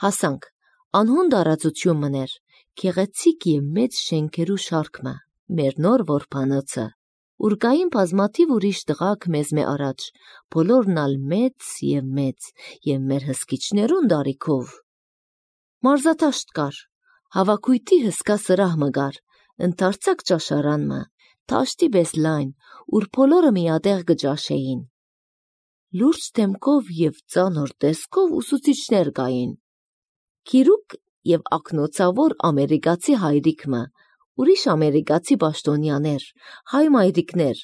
Հասանք, անհուն դարածություն մներ, գեղեցիկ և մեծ շենքերու շարքը, մեր նոր որբանոցը, ուրգային բազմաթիվ ուրիշ տղաք մեզ մե առաջ, բոլորն ալ մեծ և մեր հսկիչներուն դարիքով։ Մարզատաշտ կար, հավաքույթի հսկա սրահ մգար, ընդարձակ ճաշարան մը, թաշտի բես լայն, ուր բոլորը միատեղ գճաշեին։ Լուրջ դեմքով և ծանոր տեսքով ուսուցիչներ գային։ Գիրուկ և ակնոցավոր ամերիկացի հայրիկ մը, ուրիշ ամերիկացի բաշտոնյաներ, հայ մայրիկներ,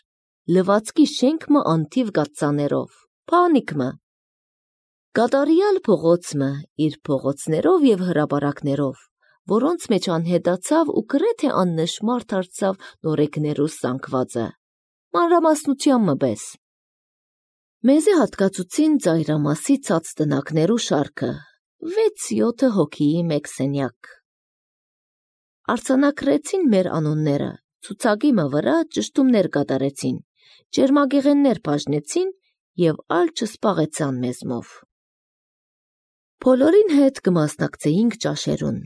լվացքի շենք մը անթիվ գատծաներով, փանիք մը։ Կատարյալ փողոց մը, իր փողոցներով և հրապարակներով, որոնց մեջ անհետացավ ու գրեթե աննշմար դարձավ նորեկներու սանկվածը, մանրամասնության մը պես։ Մեզի հատկացուցին ծայրամասի ցած տնակներու շարքը, 6-7 հոգիի մեկ սենյակ։ Արձանագրեցին մեր անունները, ցուցակի մը վրա ճշտումներ կատարեցին, ջերմագեղեններ բաժնեցին և ալ չսպաղեցան մեզմով։ Բոլորին հետ կմասնակցեինք ճաշերուն։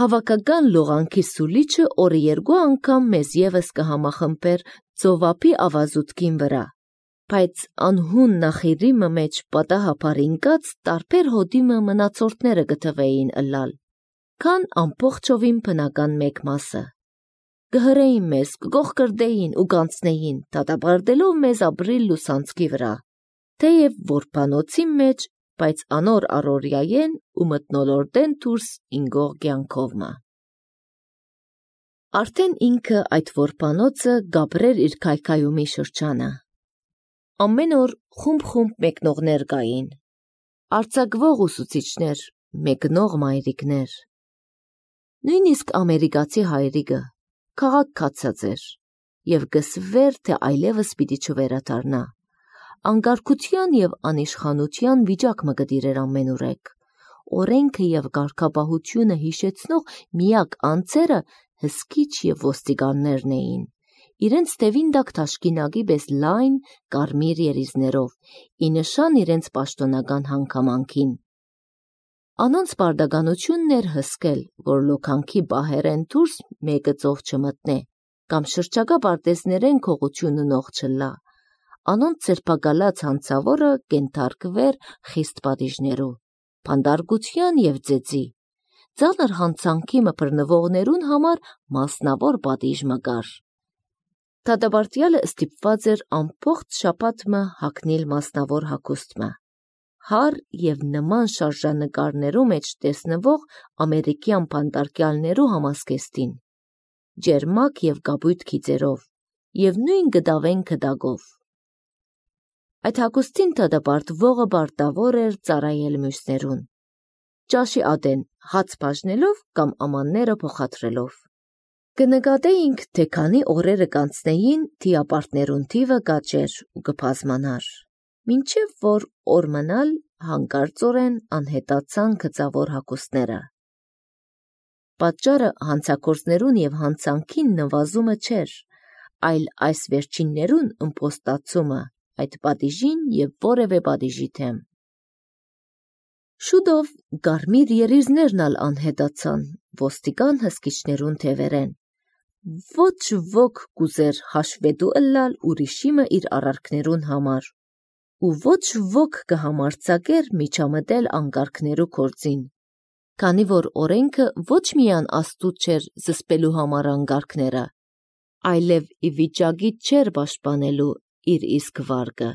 Հավաքական լողանքի սուլիչը օրը 2 անգամ մեզ ևս կհամախմբեր ծովափի ավազուտքին վրա, բայց անհուն նախիրի մը մեջ պատահաբար ինկած տարբեր հոդի մը մնացորդները գտվեին ըլլալ, քան ամբողջովին բնական մեկ մասը։ Կհրեին մեզ, կգողկրդեին ու կանցնեին, դատապարտելով մեզ ապրիլ լուսանցքի վրա, թեև որբանոցի մեջ, բայց անոր առօրյայեն ու մթնոլորտեն դուրս ինգող կյանքով մը։ Արդեն ինքը այդ որբանոցը գաբրեր իր քայքայումի շրջանը։ Ամեն օր խումբ մեկնողներ կային, արձակվող ուսուցիչներ, մեկնող մայրիկներ։ Նույնիսկ ամերիկացի հայրիկը քաղաք կացած էր և կսվեր, թե այլևս պիտի չվերադառնա։ Անկարգության և անիշխանության վիճակ մը կտիրեր ամենուրեք։ Օրենքը և կարգապահությունը հիշեցնող միակ անձերը հսկիչ և ոստիկաններն էին, իրենց թևին տակ թաշկինակի պես լայն կարմիր երիզներով, ի նշան իրենց պաշտոնական հանգամանքին։ Անոնց պարտականությունն էր հսկել, որ լոքանքի բահերեն դուրս մեկը ծով չմտնե, կամ շրջակա պարտեզներեն քողություն ունող չլա, անոնց ձերբակալած հանցավորը կենթարկվեր խիստ պատիժներու, բանտարկության և ձեծի, ծանր հանցանքի մը բռնվողներուն համար մասնավոր պատիժ մը կար։ Դատապարտյալը ստիպված էր ամբողջ շաբաթ մը հագնիլ մասնավոր հագուստ մը, հար և նման շարժանկարներու մեջ տեսնվող ամերիկյան բանտարկյալներու համազգեստին, ջերմակ և կապույտ գիծերով և նույն գդավեն գդակով։ Այդ հագուստին դատապարտվողը պարտավոր էր ծառայել մյուսներուն, ճաշի ատեն հաց բաժնելով կամ ամանները փոխադրելով։ Կնկատեինք, թե քանի օրերը կանցնեին, թիապարտներուն թիվը կաճեր ու կբազմանար, մինչև որ օր մնալ հանկարծորեն անհետացան գծավոր հագուստները։ Պատճառը հանցագործներուն և հանցանքին նվազումը չէր, այլ այս վերջիններուն ըմպոստացումը այդ պատիժին և որևէ պատիժի դեմ։ Շուտով կարմիր երիզներն ալ անհետացան ոստիկան հսկիչներուն թևերեն։ Ոչ ոք կուզեր հաշվետու ըլլալ ուրիշի մը իր արարքներուն համար, ու ոչ ոք կհամարձակեր միջամտել անկարգներու գործին, քանի որ օրենքը ոչ միայն աստուծ չէր զսպելու համար անկարգները, այլև ի վիճակի չէր պաշտպանելու իր իսկ վարկը,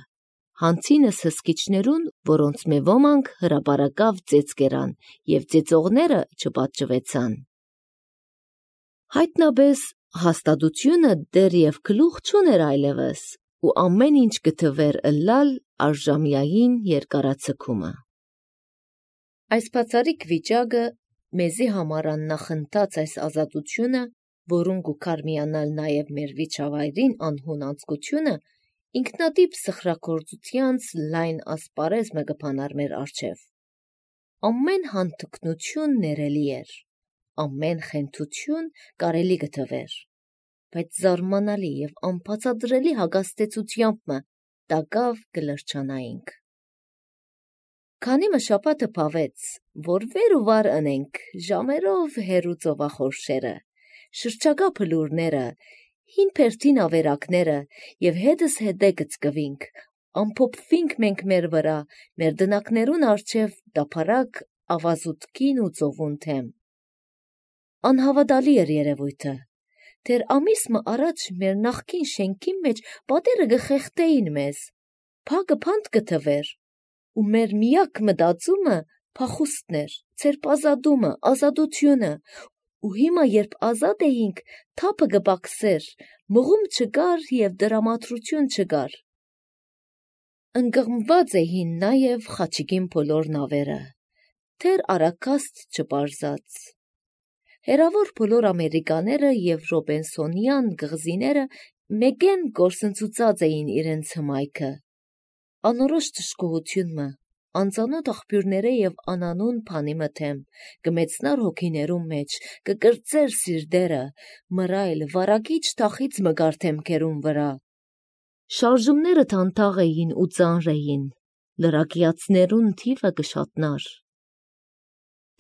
հանցինս հսկիչներուն, որոնց մե ոմանք հրապարակավ ծեծ կերան և ծեծողները չպատժվեցան։ Հայտնաբես հաստատությունը դեռև գլուխ չուներ այլևս, ու ամեն ինչ կթվեր ըլլալ արժամյային երկարաձգումը։ Այս բացառիկ վիճակը մեզի համար աննախընթաց այս ազատությունը, որուն կուքար միանալ նաև մեր վիճավայրին անհուն անձկությունը, ինքնատիպ սխրագործությանց լայն ասպարեզ մը կփանար մեր առջև։ Ամեն հանթկնություն ներելի էր, ամեն խենթություն կարելի կթվեր, բայց զարմանալի և անբացատրելի հագաստեցությամբ մը տակավ կլրջանայինք։ Քանի մշապատը պավեց, որ վեր ու վար ընենք ժամերով հերու ծովախորշերը, շրջագա փլուրները, հին պերտին ավերակները և հետս հետե գծկվինք, ամփոփվինք մենք մեր վրա, մեր դնակներուն արջև դափարակ ավազուտքին ու ծովուն թեմ։ Անհավատալի էր երևույթը, թեր ամիսմը առաջ մեր նախքին շենքին մեջ պատերը գխեղտեին մեզ, փագը փանդ գթվեր, ու մեր միակ մտածումը փախուստն էր, ցերպ ազատումը, ազատությունը, ու հիմա երբ ազատ էինք, թափը գբաքսեր, մղում չկար և դրամատրություն չկար։ Ընկղմված էին նաև Խաչիկին բոլոր նավերը, թեր արաքաստ չպարզած։ Հերավոր բոլոր ամերիկաները և ռոբենսոնյան գղզիները մեկեն գործընծուծած էին իրենց հմայքը։ Անորոշ թշկողությունը, անծանոթ աղբյուրները և անանուն փանի մթեմ, կմեցնար հոգիներում մեջ, կկրծեր սիրտերը, մռայլ, վարակիչ թախից մգար թեմքերուն վրա։ Շարժումները թանթաղ էին ու ծանր էին, լրակիացներուն թիվը կշատնար։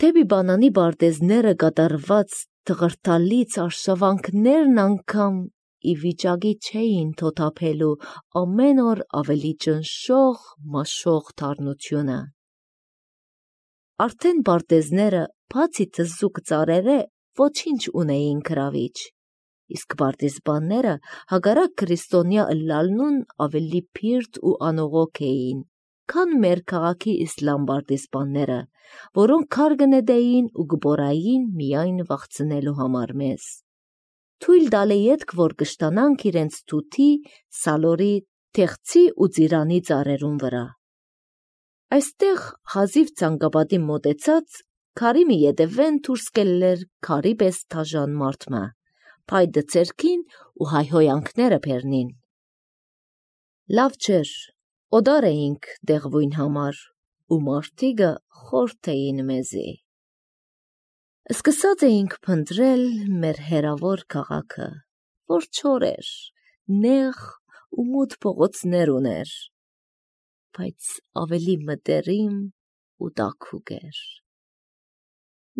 Թեպի բանանի բարտեզները կատարված թղրթալից արշավանքներն անգամ ի վիճակի չէին թոթափելու ամեն օր ավելի ճնշող, մաշող թարնությունը։ Արդեն բարտեզները, բացի թզուկ ծառերը, ոչինչ ունեին գրավիչ, իսկ պարտիզբանները հակառակ քրիստոնյա ըլլալնուն ավելի փիրտ ու անողոք էին, քան մեր քաղաքի իսլամ պարտիզբանները, որոնք քար կնետեին ու կբորային միայն վախցնելու համար մեզ։ Թույլ տալի ետք, որ կշտանանք իրենց թութի, սալորի, թեղցի ու ծիրանի ծառերուն վրա։ Այստեղ հազիվ ցանկապատի մոտեցած, քարի մի ետևեն դուրս կելլեր քարի պես թաժան մարդմը, փայտը ցերքին ու հայհոյանքները բեռնին։ Լավ չէր, օդար էինք դեղվույն համար, ու մարդիկը խորթ էին մեզի։ Սկսած էինք փնտրել մեր հերավոր քաղաքը, որ չոր էր, նեղ ու մութ փողոցներ ուներ, բայց ավելի մտերիմ ու տաքուկ էր։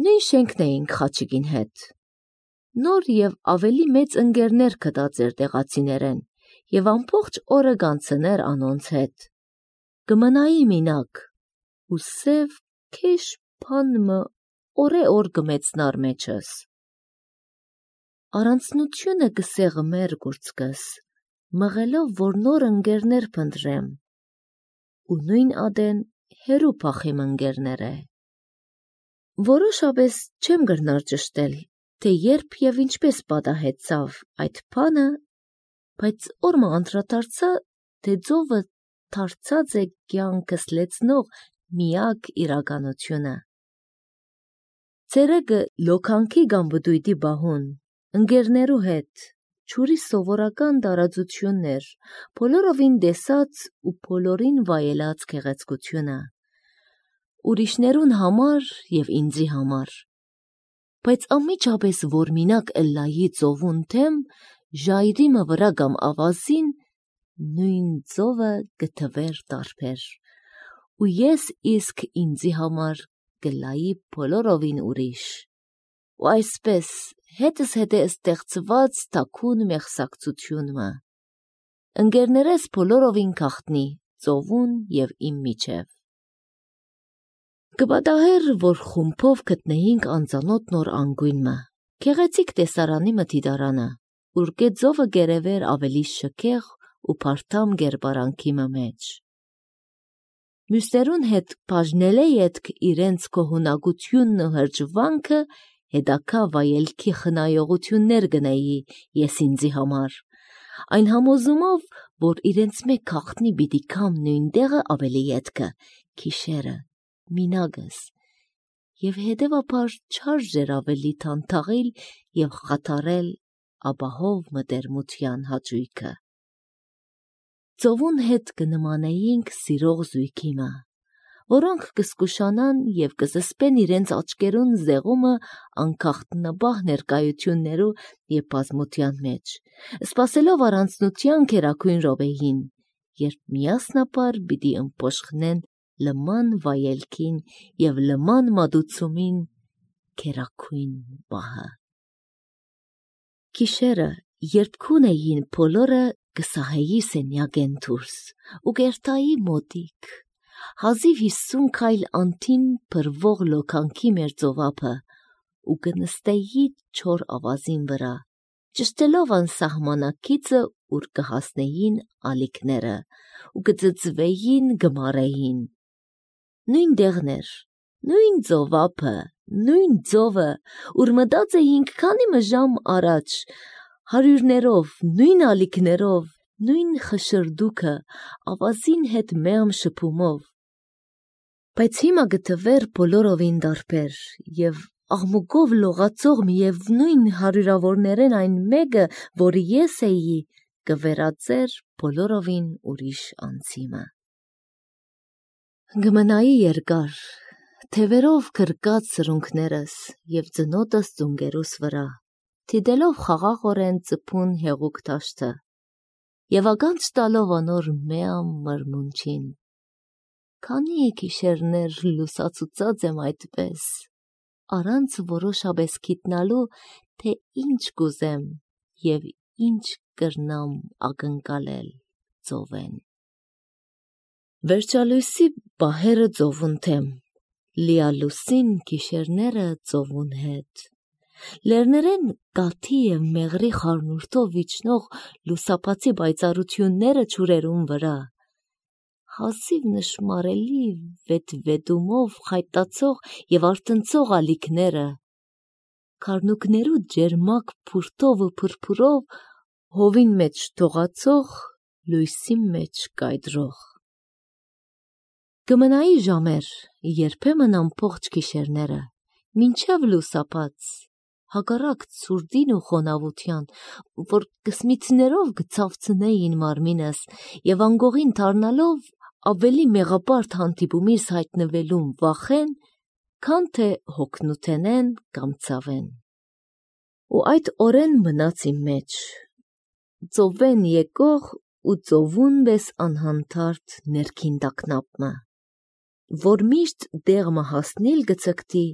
Նույն շենքն էինք Խաչիկին հետ։ Նոր և ավելի մեծ ընկերներ գտած էր տեղացիներեն և ամբողջ օրը կանցներ անոնց հետ։ Կմնայի մինակ ու սև քեշ բանմը օրե-օր կմեցնար մեջս։ Առանցնությունը կսեղմեր գուրծքս, մղելով, որ նոր ընկերներ փնտրեմ, ու նույն ադեն հերու փախիմ ընկերները։ Որոշապես չեմ գրնար ճշտել, թե երբ և ինչպես պատահեցավ այդ բանը, բայց օրմը անդրադարձա, թե ծովը դարձած է կյանքս լեցնող միակ իրականությունը։ Ցերեկը լոքանքի կամ բդույթի բահուն, ընկերներու հետ, ջուրի սովորական տարածություններ, բոլորովին տեսած ու բոլորին վայելած գեղեցկությունը, ուրիշներուն համար և ինձի համար, բայց անմիջապես որ մինակ ըլլայի ծովուն թեմ, ժայռիմը վրա կամ ավազին, նույն ծովը գթվեր տարբեր, ու ես իսկ ինձի համար կլայի բոլորովին ուրիշ, ու այսպես հետս հետե ստեղծված թաքուն մեղսակցությունը, ընկերներես բոլորովին գաղտնի ծովուն և իմ միջև։ Կպատահեր, որ խումբով գտնեինք անծանոթ նոր անկյունը, գեղեցիկ տեսարանի մթիդարանը, ուր ծովը գերևեր ավելի շքեղ ու փարթամ կերպարանքի մեջ։ Մյուսներուն հետ բաժնել է ետք իրենց կողունակությունն ու հրճվանքը, հետաքա վայելքի խնայողություններ գնեի ես ինձի համար, այն համոզումով, որ իրենց մեկ գաղտնի պիտի կամ նույն տեղը ավելի ետքը, քիշերը, մինագս, և հետևաբար չարժեր ավելի թանթաղիլ և խաթարել ապահով մտերմության հաճույքը։ Ծովուն հետ կնմանեինք սիրող զույգիմը, որոնք կզգուշանան և կզսպեն իրենց աչքերուն զեղումը անկախտնաբահ ներկայություններու և բազմության մեջ, սպասելով առանձնության գերագույն րոպեին, երբ միասնաբար պիտի ըմբոշխնեն լման վայելքին և լման մատուցումին կերակույն բահը։ Գիշերը, երբ քուն էին բոլորը կսահեի սենյակեն դուրս ու կերտայի մոտիկ, հազիվ 50 քայլ անթին փրվող լոքանքի մեր ծովափը ու կնստեի չոր ավազին վրա, ճշտելով անսահմանակիցը, ուր կհասնեին ալիքները ու կծծվեին գմարեին։ Նույն դեղներ, նույն ծովափը, նույն ծովը, ուր մտած էինք քանի ժամ առաջ, հարյուրներով, նույն ալիքներով, նույն խշրդուքը, ավազին հետ մեղմ շփումով, բայց հիմա գտվեր բոլորովին դարբեր և աղմուկով լողացող միևնույն հարյուրավորներեն այն մեկը, որը ես էի, կվերածեր բոլորովին ուրիշ անձիմը։ Գմնայի երկար, թևերով կրկած սրունքներս և ծնոտս ծունգերուս վրա, թիդելով խաղաղորեն ծփուն հեղուկ դաշտը և ականջ տալով անոր մեղմ մրմունջին, քանի գիշերներ լուսացուցած եմ այդպես, առանց որոշապես գիտնալու, թե ինչ կուզեմ և ինչ կրնամ ակնկալել ծովեն։ Վերջալույսի պահերը ծովուն թեմ, լիալուսին գիշերները ծովուն հետ, լեռներեն կաթի և մեղրի խառնուրդով իջնող լուսապացի պայծառությունները ջուրերուն վրա, հազիվ նշմարելի վետվետումով խայտացող և արթնցող ալիքները, քառնուկներու ջերմակ փուրթով ու փրփուրով հովին մեջ թողացող, լույսի մեջ կայդրող։ Կմնայի ժամեր, երբեմն ամբողջ գիշերները, մինչև լուսապած, հակառակ ցուրտին ու խոնավության, որ կսմիթներով կցավցնեին մարմինս և անգողին դառնալով ավելի մեղապարտ հանդիպումիս հայտնվելուն վախեն, քան թե հոգնութենեն կամ ցավեն։ Ու այդ օրեն մնաց իմ մեջ, ծովեն եկող ու ծովուն պես անհանդարտ ներքին տագնապը, որ միշտ դեղմը հասնիլ գցկտի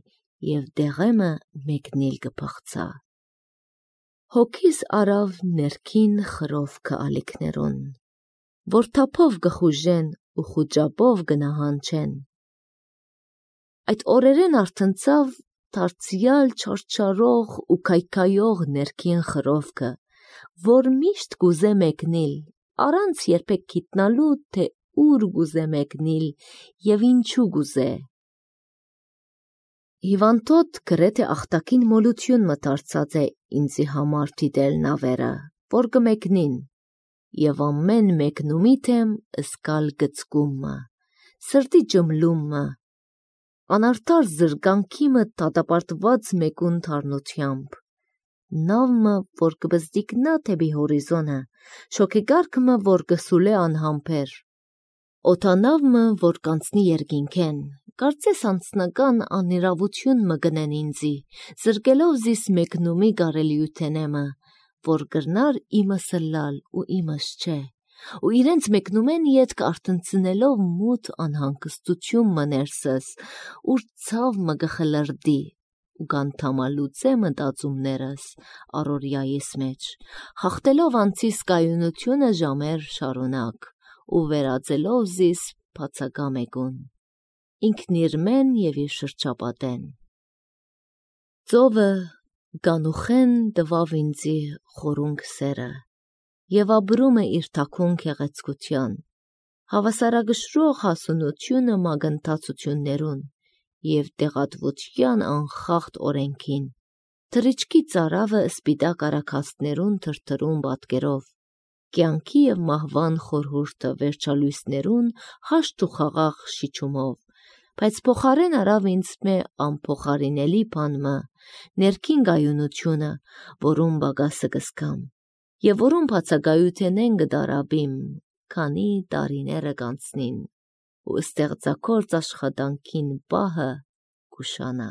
և դեղեմը մեկնիլ կփախցա։ Հոգիս արավ ներքին խրովքը ալիքներուն, որ թափով կխուժեն ու խուճապով կնահանջեն։ Այդ օրերեն արթնցավ դարձյալ չարչարող ու քայքայող ներքին խրովքը, որ միշտ կուզե մեկնիլ, առանց երբեք գիտնալու, թե ուր կուզե մեկնիլ և ինչու կուզե։ Հիվանդոտ գրեթե ախտակին մոլություն մը դարձած է ինձի համար դիտել նավերը, որ կմեկնին, և ամեն մեկնումի թեմ զգալ գծկումը, սրտի ջմլումը, անարդար զրկանքի մը դատապարտված մեկուն դառնությամբ, նավը, որ կբզդիկնա թեպի հորիզոնը, շոգեգարքը, որ կսուլե անհամբեր, օդանավը, որ կանցնի երկինքեն, կարծես անձնական անիրավություն մը գնեն ինձի, զրկելով զիս մեկնումի կարելիութենեմը, որ կրնար իմս լալ ու իմս չէ, ու իրենց մեկնումեն ետք արթնցնելով մութ անհանգստություն մը ներսս, ուր ցավ մը կխլրդի ու կանթամալուծե մտածումներս առօրյայիս մեջ, հաղթելով անցիս կայունությունը ժամեր շարունակ ու վերածելով զիս բացակա մեկուն, ինքն իր մեն և իր շրջապատեն։ Ծովը գանուխեն տվավ ինձի խորունգ սերը և ապրում է իր թաքուն գեղեցկության, հավասարակշռող հասունությունը մագընթացություններուն և տեղատվության անխախտ օրենքին, թռիչքի ծարավը սպիտակ արագածներուն թրթռուն պատկերով, կյանքի և մահվան խորհուրդը վերջալույսներուն հաշտ ու խաղաղ շիչումով, բայց փոխարեն արավ ինձ մե անփոխարինելի բան մը, ներքին կայունությունը, որուն պակասը կզգամ, և որուն բացակայութենեն կտարապիմ, քանի տարիները կանցնին, ու ստեղծագործ աշխատանքին պահը կուշանա։